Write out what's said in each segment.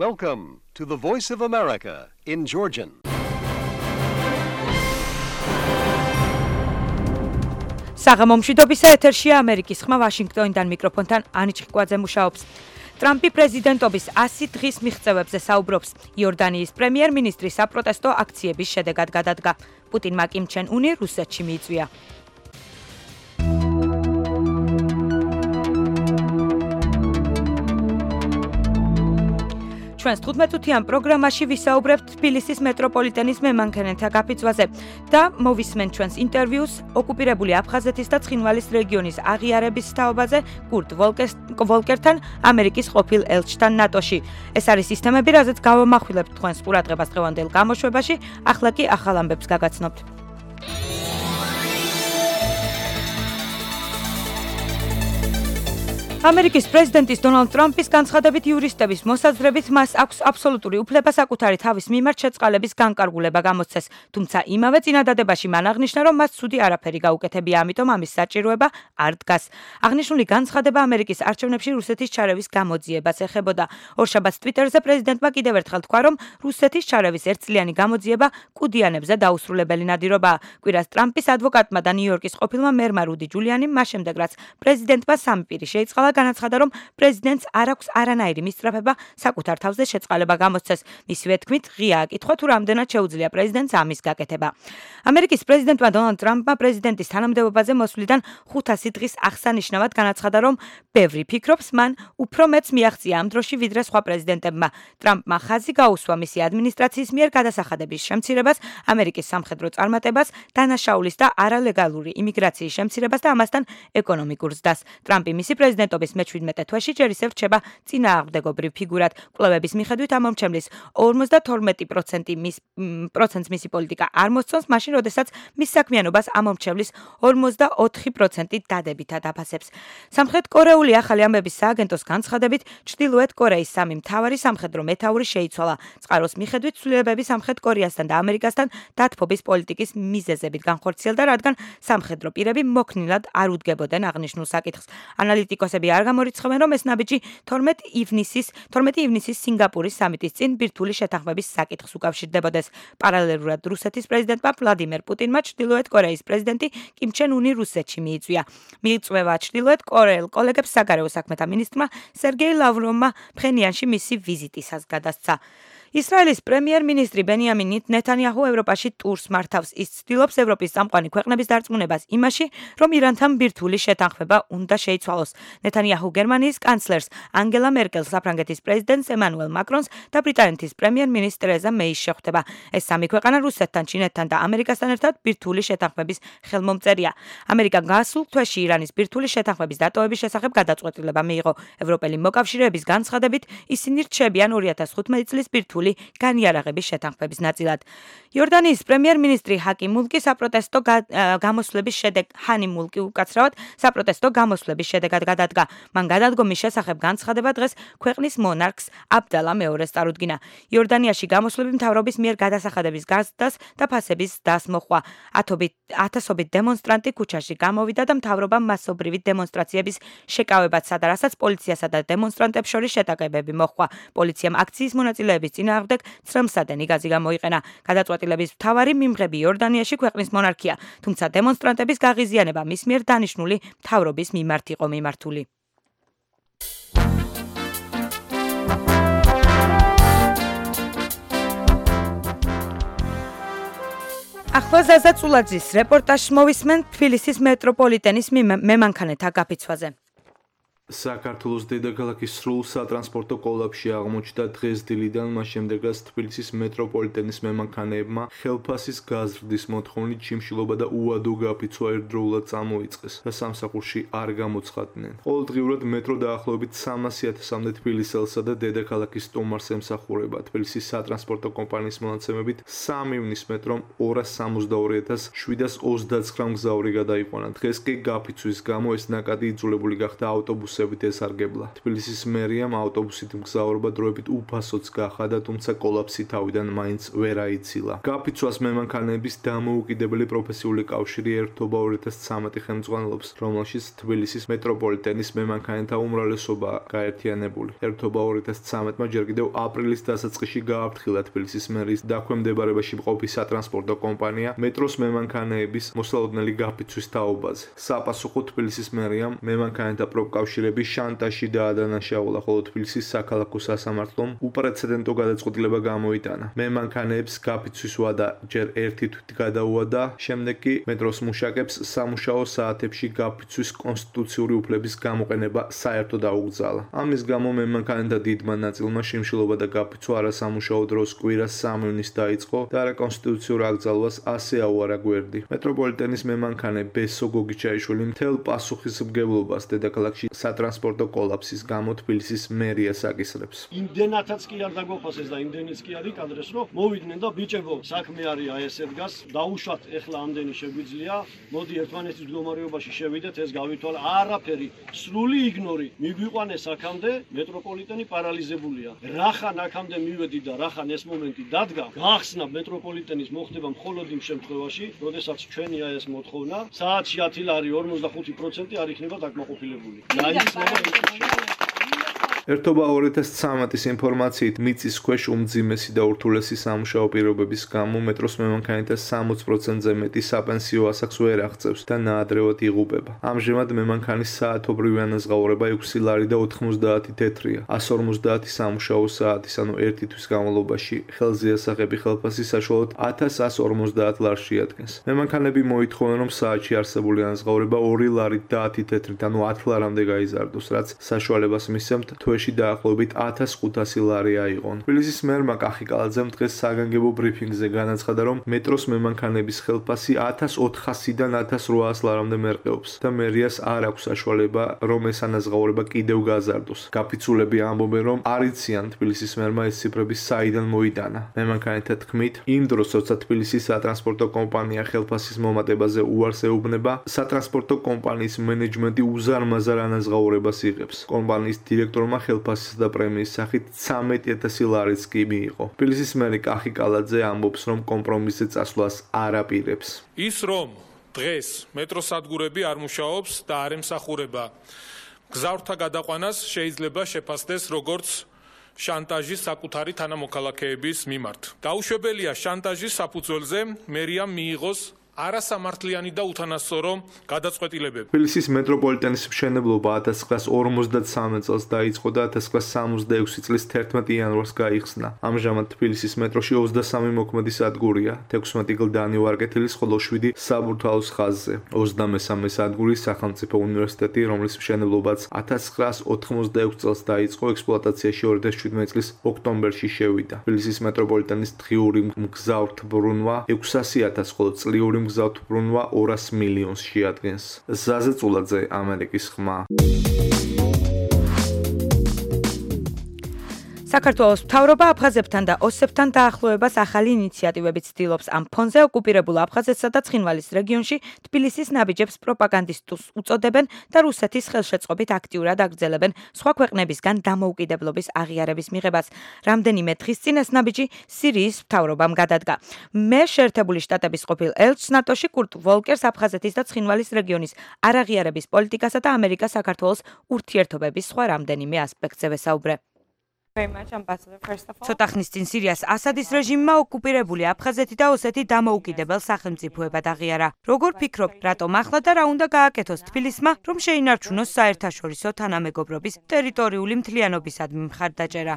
Welcome to the Voice of America in Georgian. საღამომშვიდობისა ეთერშია ამერიკის ხმა ვაშინგტონიდან მიკროფონთან ანი ჭყიკვაძე მუშაობს. ტრამპი პრეზიდენტობის 100 დღის მიღწევებზე საუბრობს. იორდანიის პრემიერ-მინისტრი საპროტესტო აქციების შედეგად გადადგა. პუტინმა კიმ ჩენ უნი რუსეთში მიიწვია. ჩვენს 15-თვიან პროგრამაში ვისაუბრებთ თბილისის მეტროპოლიტენის მემანქანეთა გაფიცვაზე და მოვისმენთ ჩვენს ინტერვიუს ოკუპირებული აფხაზეთის და ცხინვალის რეგიონის აღიარების თაობაზე კურტ ვოლკერთან, ამერიკის ყოფილ ელჩთან ნატოში. ეს არის სისტემები, რაზეც გავამახვილებთ თქვენს ყურადღებას დღევანდელ გამოშვებაში, ახლა კი ახალ ამბებს გაგაცნობთ. ამერიკის პრეზიდენტის დონალდ ტრამპის განცხადებით იურისტების მოსაზრებით მას აქვს აბსოლუტური უფლება საკუთარი თავის მიმართ შეწყალების განკარგულება გამოსცეს, თუმცა იმავე წინადადებაში მან აღნიშნა, რომ მას ცუდი არაფერი გაუკეთებია, ამიტომ ამის საჭიროება არ დგას. აღნიშნული განცხადება ამერიკის არჩევნებში რუსეთის ჩარევის გამოძიებას ეხებოდა. ორშაბათს ტვიტერზე პრეზიდენტმა კიდევ ერთხელ თქვა, რომ რუსეთის ჩარევის ერთწლიანი გამოძიება კუდიანებზე დაუსრულებელი ნადირობაა. კვირას ტრამპის ადვოკატმა და ნიუ-იორკის ყოფილმა მერმა რუდი ჯულიანიმ მას შემდეგ, რაც პრეზიდენტმა სამი პირი შეიწყალა, განაცხადა, რომ პრეზიდენტს არ აქვს არანაირი მისწრაფება საკუთარ თავზე შეწყალება გამოსცეს. მისივე თქმით, ღიაა კითხვა, თუ რამდენად შეუძლია პრეზიდენტს ამის გაკეთება. ამერიკის პრეზიდენტმა დონალდ ტრამპმა პრეზიდენტის თანამდებობაზე მოსვლიდან 500 დღის აღსანიშნავად განაცხადა, რომ ბევრი ფიქრობს, მან უფრო მეც მიაღწია ამ დროში, ვიდრე სხვა პრეზიდენტებმა. ტრამპმა ხაზი გაუსვა მისი ადმინისტრაციის მიერ გადასახადების შემცირებას, ამერიკის სამხედრო წარმატებას, დანაშაულის და არალეგალური იმიგრაციის შემცირებას და ამასთან ეკონომიკურ ზრდას. ტრამპი მისი პრეზიდენტობის მე-17 თვეში ჯერ ისევ რჩება წინააღმდეგობრივ ფიგურად. კვლევების მიხედვით ამომრჩევლის 52% მისი პოლიტიკა არ მოსწონს, მაშინ როდესაც მის საქმიანობას ამომრჩევლის 44% დადებითად აფასებს. სამხრეთკორეული ახალი ამბების სააგენტოს განცხადებით, ჩრდილოეთ კორეის სამი მთავარი სამხედრო მეთაური შეიცვალა. წყაროს მიხედვით ცვლილებები სამხრეთ კორეასთან და ამერიკასთან დათბობის პოლიტიკის მიზეზებით განხორციელდა, რადგან სამხედრო პირები მოქნილად არ უდგებოდნენ აღნიშნულ საკითხს. ანალიტიკოსები არ გამორიცხავენ, რომ ეს ნაბიჯი 12 ივნისის სინგაპურის სამიტის წინ ბირთვული შეთანხმების საკითხს უკავშირდებოდეს. პარალელურად რუსეთის პრეზიდენტმა ვლადიმერ პუტინმა ჩრდილოეთ კორეის პრეზიდენტი კიმ ჩენ უნი რუსეთში მიიწვია. მიიწვევა ჩრდილოეთ კორეელ კოლეგებს საგარეო საქმეთა მინისტრმა სერგეი ლავროვმა ფხენიანში მისი ვიზიტისას გადასცა. ისრაელის პრემიერ-მინისტრი ბენიამინ ნეთანიაჰუ ევროპაში ტურს მართავს. ის ცდილობს ევროპის წამყვანი ქვეყნების დარწმუნებას იმაში, რომ ირანთან ბირთვული შეთანხმება უნდა შეიცვალოს. ნეთანიაჰუ გერმანიის კანცლერს ანგელა მერკელს, საფრანგეთის პრეზიდენტს ემანუელ მაკრონს და ბრიტანეთის პრემიერ-მინისტრ ტერეზა მეის შეხვდება. ეს სამი ქვეყანა რუსეთთან, ჩინეთთან და ამერიკასთან ერთად ბირთვული შეთანხმების ხელმომწერია. ამერიკა გასულ თვეში ირანის ბირთვული შეთანხმების დატოვების შესახებ გადაწყვეტილება მიიღო. ევროპელი მოკავშირეების განცხადებით, ისინი რჩებიან 2015 წლის ბირთვული განიარაღების შეთანხმების ნაწილად. იორდანიის პრემიერ-მინისტრი საპროტესტო გამოსვლების შედეგად გადადგა. მან გადადგომის შესახებ განცხადება დღეს ქვეყნის მონარქს აბდალა მეორეს წარუდგინა. იორდანიაში გამოსვლები მთავრობის მიერ გადასახადების გაზრდას და ფასების ზრდას მოჰყვა. ათასობით დემონსტრანტი ქუჩაში გამოვიდა და მთავრობამ მასობრივი დემონსტრაციების შეკავებაც, რასაც პოლიციასა და დემონსტრანტებს შორის შეტაკებები მოჰყვა. პოლიციამ აქციის მონაწილეების წინააღმდეგ ცრემლსადენი გაზი გამოიყენა. გადაწყვეტილების მთავარი მიმღები იორდანიაში ქვეყნის მონარქია, თუმცა დემონსტრანტების გაღიზიანება მის მიერ დანიშნული მთავრობის მიმართ იყო მიმართული. ახლა ზაზა წულაძის რეპორტაჟს მოვისმენთ თბილისის მეტროპოლიტენის მემანქანეთა გაფიცვაზე. საქართველოს დედაქალაქის სრულ სატრანსპორტო კოლაფში აღმოჩნდა დღეს დილიდან, მას შემდეგ რაც თბილისის მეტროპოლიტენის მემანქანეებმა ხელფასის გაზრდის მოთხოვნით ჩიმშილობა და უადო გაფიცვა ერთდროულად წამოიწყეს და სამსახურში არ გამოცხადდნენ. ყოველდღიურად მეტრო დაახლოებით 300,000-მდე თბილისელსა და დედაქალაქის სტუმარს ემსახურება. თბილისის სატრანსპორტო კომპანიის მონაცემებით 3 ივნის მეტრომ 262,729 მგზავრი გადაიყვანა. დღეს კი გაფიცვის გამო ეს ნაკადი იძულებული გახდა ავტობუსზე ავტობუსებით ესარგებლა. თბილისის მერიამ ავტობუსით მგზავრობა დროებით უფასოც გახადა, თუმცა კოლაფსი თავიდან მაინც ვერ აიცილა. გაფიცვას მემანქანეების დამოუკიდებელი პროფესიული კავშირი ერთობა 2013 ხელმძღვანელობს, რომელშიც თბილისის მეტროპოლიტენის მემანქანეთა უმრავლესობა გაერთიანებული. ერთობა 2013-მა ჯერ კიდევ აპრილის დასაწყისში გააფრთხილა თბილისის მერის დაქვემდებარებაში მყოფი სატრანსპორტო კომპანია მეტროს მემანქანეების მოსალოდნელი გაფიცვის თაობაზე. საპასუხოდ თბილისის მერიამ მემანქანეთა პროფკავშირების შანტაჟი დაადანაშაულა, ხოლო თბილისის საქალაქო სასამართლომ უპრეცედენტო გადაწყვეტილება გამოიტანა. მემანქანეებს გაფიცვის ვადა ჯერ ერთი თვით გადაუადა, შემდეგ კი მეტროს მუშაკებს სამუშაო საათებში გაფიცვის კონსტიტუციური უფლების გამოყენება საერთოდ აუგზალა. ამის გამო მემანქანეთა დიდმა ნაწილმა შიმშილობა და გაფიცვა არასამუშაო დროს კვირას 3 ივნის დაიწყო და არაკონსტიტუციურ აკრძალვას ასე აუარა გვერდი. მეტროპოლიტენის მემანქანე ბესო გოგიჩაიშვილი მთელ პასუხისმგებლობას დედაქალაქში სატრანსპორტო კოლაფსის გამო თბილისის მერიას აკისრებს. იმდენათაც კი არ დაგოფასეს და იმდენიც კი არ იკადრეს, რომ მოვიდნენ და ბიჭებო, საქმე არის ესე დგას, დაუშვათ ეხლა ამდენი შეგვიძლია, მოდი ერთმანეთის მდგომარეობაში შევიდეთ, ეს გავითვალე, არაფერი, სრული იგნორი. მიგვიყვანეს აქამდე, მეტროპოლიტენი პარალიზებულია. რახან აქამდე მივედი და რახან ეს მომენტი დადგა, გახსნა მეტროპოლიტენის მოხდება მხოლოდ იმ შემთხვევაში, როდესაც ჩვენია ეს მოთხოვნა, საათში 10 ლარი 45% არ იქნება დაკმაყოფილებული. ერთობა 2013-ის ინფორმაციით მიწის ქვეშ უმძიმესი და ურთულესი სამუშაო პირობების გამო მეტროს მემანქანეთა 60%-ზე მეტი საპენსიო ასაკს ვერ აღწევს და ნაადრევად იღუპება. ამჟამად მემანქანის საათობრივი ანაზღაურება 6 ლარი და 90 თეთრია. 150 სამუშაო საათის, ანუ ერთი თვის განმავლობაში ხელზე ასაღები ხელფასი საშუალოდ 1150 ლარს შეადგენს. მემანქანები მოითხოვენ, რომ საათში არსებული ანაზღაურება 2 ლარით და 10 თეთრით, ანუ 10 ლარამდე გაიზარდოს, რაც საშუალებას მისცემთ თვეში დაახლოებით 1500 ლარი აიღონ. თბილისის მერმა კახი კალაძემ დღეს საგანგებო ბრიფინგზე განაცხადა, რომ მეტროს მემანქანების ხელფასი 1400-დან 1800 ლარამდე მერყეობს და მერიას არ აქვს საშუალება, რომ ეს ანაზღაურება კიდევ გაზარდოს. გაფიცულები ამბობენ, რომ არ იციან თბილისის მერმა ეს ციფრები საიდან მოიტანა. მემანქანეთა თქმით, იმ დროს, როცა თბილისის სატრანსპორტო კომპანია ხელფასის მომატებაზე უარს ეუბნება, სატრანსპორტო კომპანიის მენეჯმენტი უზარმაზარ ანაზღაურებას იღებს. კომპანიის დირექტორმა ხელფასის და პრემიის სახით 13000 ლარიც კი მიიღო. თბილისის მერი კახი კალაძე ამბობს, რომ კომპრომისზე წასვლას არ აპირებს. ის რომ დღეს მეტროსადგურები არ მუშაობს და არ ემსახურება გზავრთა გადაყვანას შეიძლება შეფასდეს როგორც შანტაჟი საკუთარი თანამოქალაქეების მიმართ. დაუშვებელია შანტაჟის საფუძველზე მერიამ მიიღოს არასამართლიანი და უთანასწორო გადაწყვეტილებები. თბილისის მეტროპოლიტენის მშენებლობა 1953 წელს დაიწყო და 1966 წლის 11 იანვარს გაიხსნა. ამჟამად თბილისის მეტროში 23 მოქმედი სადგურია, 16 გლდანი ვარკეთილის, ხოლო 7 საბურთალოს ხაზზე. 23 სადგური სახელმწიფო უნივერსიტეტი, რომლის მშენებლობაც 1986 წელს დაიწყო, ექსპლუატაციაში 2017 წლის ოქტომბერში შევიდა. თბილისის მეტროპოლიტენის დღიური მგზავრთბრუნვა 600,000, ხოლო წლიური მგზავრთბრუნვა 200 მილიონს შეადგენს. ზაზე წულაძე, ამერიკის ხმა. საქართველოს მთავრობა აფხაზებთან და ოსებთან დაახლოებას ახალი ინიციატივებით ცდილობს. ამ ფონზე ოკუპირებულ აფხაზეთსა და ცხინვალის რეგიონში თბილისის ნაბიჯებს პროპაგანდისტებს უწოდებენ და რუსეთის ხელშეწყობით აქტიურად აგრძელებენ სხვა ქვეყნებისგან დამოუკიდებლობის აღიარების მიღებას. რამდენიმე დღის წინ ეს ნაბიჯი სირიის მთავრობამ გადადგა. მე შეერთებული შტატების ყოფილ ელჩს ნატოში კურტ ვოლკერს აფხაზეთის და ცხინვალის რეგიონის არაღიარების პოლიტიკასა და ამერიკა-საქართველოს ურთიერთობების სხვა რამდენიმე ასპექტზე ვესაუბრე. ცოტა ხნის წინ სირიას ასადის რეჟიმმა ოკუპირებული აფხაზეთი და ოსეთი დამოუკიდებელ სახელმწიფოებად აღიარა. როგორ ფიქრობთ, რატომ ახლა და რა უნდა გააკეთოს თბილისმა, რომ შეინარჩუნოს საერთაშორისო თანამეგობრობის ტერიტორიული მთლიანობისადმი მხარდაჭერა?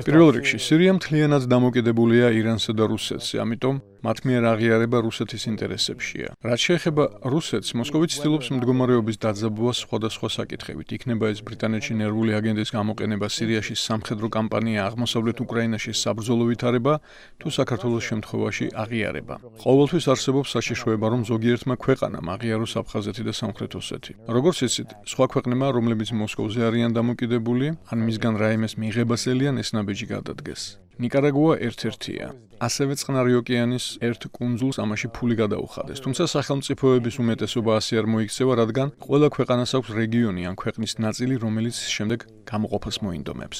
პირველ რიგში, სირია მთლიანად დამოკიდებულია ირანსა და რუსეთზე, ამიტომ მათ მიერ აღიარება რუსეთის ინტერესებშია. რაც შეეხება რუსეთს, მოსკოვი ცდილობს მდგომარეობის დაძაბვას სხვადასხვა საკითხებით. იქნება ეს ბრიტანეთში ნერვული აგენტის გამოყენება, სირიაში სამხედრო კამპანია, აღმოსავლეთ უკრაინაში საბრძოლო ვითარება, თუ საქართველოს შემთხვევაში აღიარება. ყოველთვის არსებობს საშიშროება, რომ ზოგიერთმა ქვეყანამ აღიაროს აფხაზეთი და სამხრეთ ოსეთი. როგორც იცით, სხვა ქვეყნებმა, რომლებიც მოსკოვზე არიან დამოკიდებული, ან მისგან რაიმეს მიღებას ელიან, ეს ნაბიჯი გადადგეს. ნიკარაგუა ერთ-ერთია. ასევე წყნარი ოკეანის ერთ კუნძულს ამაში ფული გადაუხადეს. თუმცა სახელმწიფოების უმეტესობა ასე არ მოიქცევა, რადგან ყველა ქვეყანას აქვს რეგიონი ან ქვეყნის ნაწილი, რომელიც შემდეგ გამოყოფას მოინდომებს.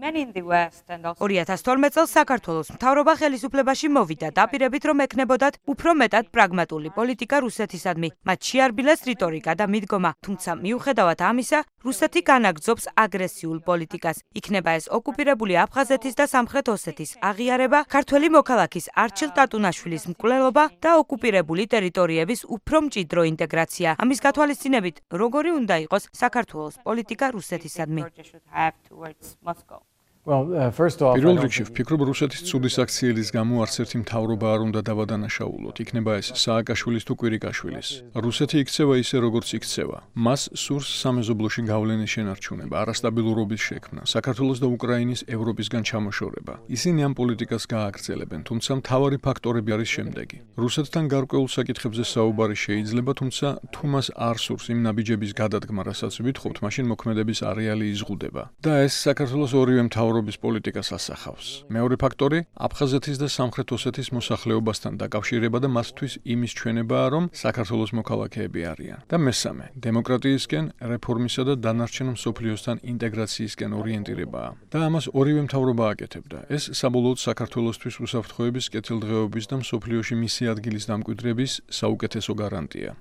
2012 წელს საქართველოს მთავრობა ხელისუფლებაში მოვიდა, დაპირებით რომ ექნებოდათ უფრო მეტად პრაგმატული პოლიტიკა რუსეთისადმი. მათ შეარბილეს რიტორიკა და მიდგომა, თუმცა მიუხედავად ამისა, რუსეთი განაგრძობს აგრესიულ პოლიტიკას. იქნება ეს ოკუპირებული აფხაზეთის და სამხრეთ ოსეთის აღიარება, ქართველი მოქალაქის არჩილ ტატუნაშვილის მკვლელობა და ოკუპირებული ტერიტორიების უფრო მჭიდრო ინტეგრაცია. ამის გათვალისწინებით, როგორი უნდა იყოს საქართველოს პოლიტიკა რუსეთისადმი? პირველ რიგში ვფიქრობ, რუსეთის ცუდის აქციელის გამო არც ერთი მთავრობა არ უნდა დავადანაშაულოთ. იქნება ეს სააკაშვილის თუ კვირიკაშვილის. რუსეთი იქცევა ისე, როგორც იქცევა. მას სურს სამეზობლოში გავლენის შენარჩუნება, არასტაბილურობის შექმნა, საქართველოს და უკრაინის ევროპისგან ჩამოშორება. ისინი ამ პოლიტიკას გააგრძელებენ, თუმცა მთავარი ფაქტორები არის შემდეგი. რუსეთთან გარკვეულ საკითხებზე საუბარი შეიძლება, თუმცა თუ მას არ სურს იმ ნაბიჯების გადადგმა, რასაც ვითხოვთ, მაშინ მოქმედების არეალი იზღუდება. და ეს საქართველოს ორივე მთავრობის პოლიტიკას ასახავს. მეორე ფაქტორი აფხაზეთის და სამხრეთ ოსეთის მოსახლეობასთან დაკავშირება და მათთვის იმის ჩვენებაა, რომ საქართველოს მოქალაქეები არიან. და მესამე, დემოკრატიისკენ, რეფორმისა და დანარჩენ მსოფლიოსთან ინტეგრაციისკენ ორიენტირებაა. და ამას ორივე მთავრობა აკეთებდა. ეს საბოლოოდ საქართველოსთვის უსაფრთხოების, კეთილდღეობის და მსოფლიოში მისი ადგილის დამკვიდრების საუკეთესო გარანტია.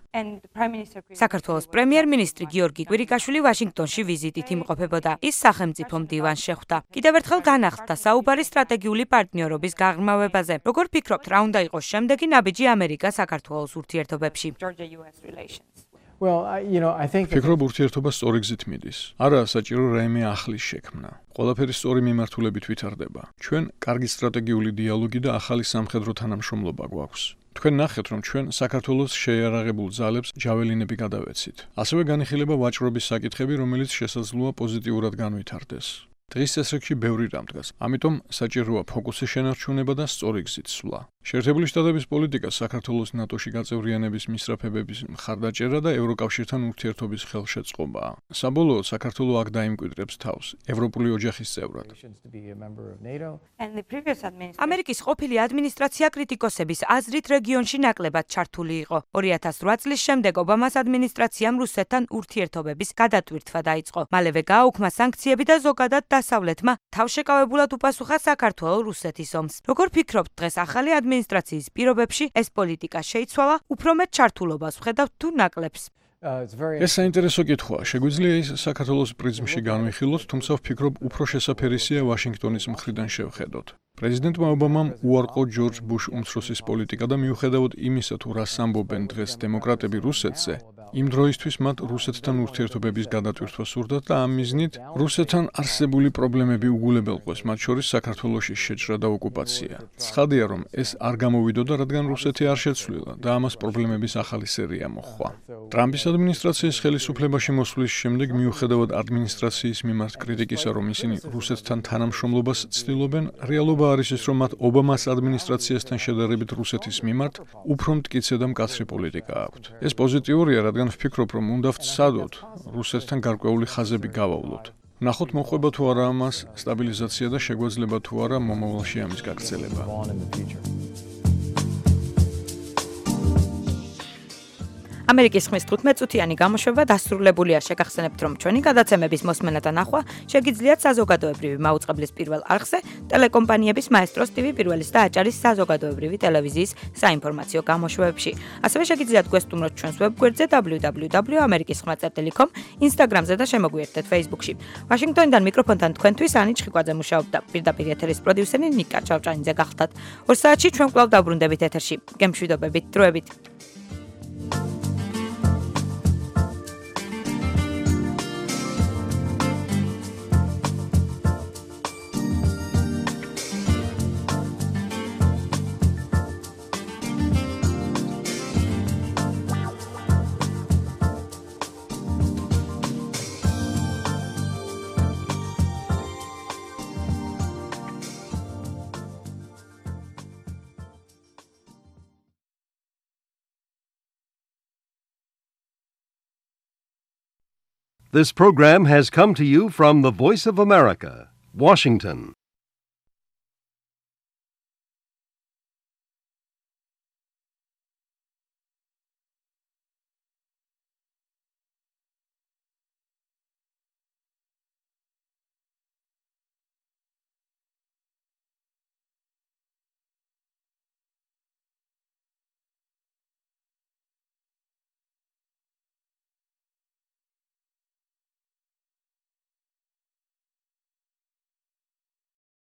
საქართველოს პრემიერ-მინისტრი გიორგი კვირიკაშვილი ვაშინგტონში ვიზიტით იმყოფებოდა. ის სახელმწიფო მდივანს შეხვდა. კიდევ ერთხელ განახლდა საუბარი სტრატეგიული პარტნიორობის გაღრმავებაზე. როგორ ფიქრობთ, რა უნდა იყოს შემდეგი ნაბიჯი ამერიკა-საქართველოს ურთიერთობებში? ფიქრობ, ურთიერთობა სწორი გზით მიდის. არაა საჭირო რაიმე ახლის შექმნა. ყველაფერი სწორი მიმართულებით ვითარდება. ჩვენ კარგი სტრატეგიული დიალოგი და ახალი სამხედრო თანამშრომლობა გვაქვს. თქვენ ნახეთ, რომ ჩვენ საქართველოს შეიარაღებულ ძალებს ჯაველინები გადავეცით. ასევე განიხილება ვაჭრობის საკითხები, რომელიც შესაძლოა პოზიტიურად განვითარდეს. დღის წესრიგში ბევრი რამ დგას. ამიტომ საჭიროა ფოკუსის შენარჩუნება და სწორი გზით სვლა. შეერთებული შტატების პოლიტიკა საქართველოს ნატოში გაწევრიანების მისწრაფებების მხარდაჭერა და ევროკავშირთან ურთიერთობის ხელშეწყობაა. საბოლოოდ საქართველო აქ დაიმკვიდრებს თავს ევროპული ოჯახის წევრად. ამერიკის ყოფილი ადმინისტრაცია კრიტიკოსების აზრით რეგიონში ნაკლებად ჩართული იყო. 2008 წლის შემდეგ ობამას ადმინისტრაციამ რუსეთთან ურთიერთობების გადატვირთვა დაიწყო. მალევე გააუქმა სანქციები და ზოგადად დასავლეთმა თავშეკავებულად უპასუხა საქართველოს რუსეთის ომს. როგორ ფიქრობთ, დღეს ახალი ადმინისტრაციის პირობებში ეს პოლიტიკა შეიცვალა, უფრო მეტ ჩართულობას ვხედავთ თუ ნაკლებს? ეს საინტერესო კითხვაა. შეგვიძლია ის საქართველოს პრიზმში განვიხილოთ, თუმცა ვფიქრობ, უფრო შესაფერისია ვაშინგტონის მხრიდან შევხედოთ. პრეზიდენტმა ობამამ უარყო ჯორჯ ბუშ უმცროსის პოლიტიკა და მიუხედავად იმისა, თუ რას ამბობენ დღეს დემოკრატები რუსეთზე, იმ დროისთვის მათ რუსეთთან ურთიერთობების გადატვირთვა სურდათ და ამ მიზნით რუსეთთან არსებული პრობლემები უგულებელყვეს, მათ შორის საქართველოში შეჭრა და ოკუპაცია. ცხადია, რომ ეს არ გამოვიდოდა, რადგან რუსეთი არ შეცვლილა და ამას პრობლემების ახალი სერია მოჰყვა. ტრამპის ადმინისტრაციის ხელისუფლებაში მოსვლის შემდეგ, მიუხედავად ადმინისტრაციის მიმართ კრიტიკისა, რომ ისინი რუსეთთან თანამშრომლობას ცდილობენ, რეალობა არის ის, რომ მათ ობამას ადმინისტრაციასთან შედარებით რუსეთის მიმართ უფრო მტკიცე და მკაცრი პოლიტიკა აქვთ. ეს პოზიტიურია, რადგან ვფიქრობ, რომ უნდა ვცადოთ რუსეთთან გარკვეული ხაზები გავავლოთ. ნახოთ მოყვება თუ არა ამას სტაბილიზაცია და შეგვეძლება თუ არა მომავალში ამის გაგრძელება. ამერიკის ხმის 15 წუთიანი გამოშვება დასრულებულია. შეგახსენებთ, რომ ჩვენი გადაცემების მოსმენა და ნახვა შეგიძლიათ საზოგადოებრივი მაუწყებლის პირველ არხზე, ტელეკომპანიების მაესტროს TV პირველის და აჭარის საზოგადოებრივი ტელევიზიის საინფორმაციო გამოშვებებში. ასევე შეგიძლიათ გვესტუმროთ ჩვენს ვებგვერდზე www.amerikisxma.com, Instagram-ზე და შემოგვიერთდეთ Facebook-ში. ვაშინგტონიდან მიკროფონთან თქვენთვის ანი ჩხიკვაძე მუშაობდა. პირდაპირ ეთერის პროდიუსერი ნიკა ჩავჭანიძე გახლდათ. 2 საათში ჩვენ კვლავ დაბრუნდებით ეთერში. გემშვიდობებით, დროებით. This program has come to you from the Voice of America, Washington.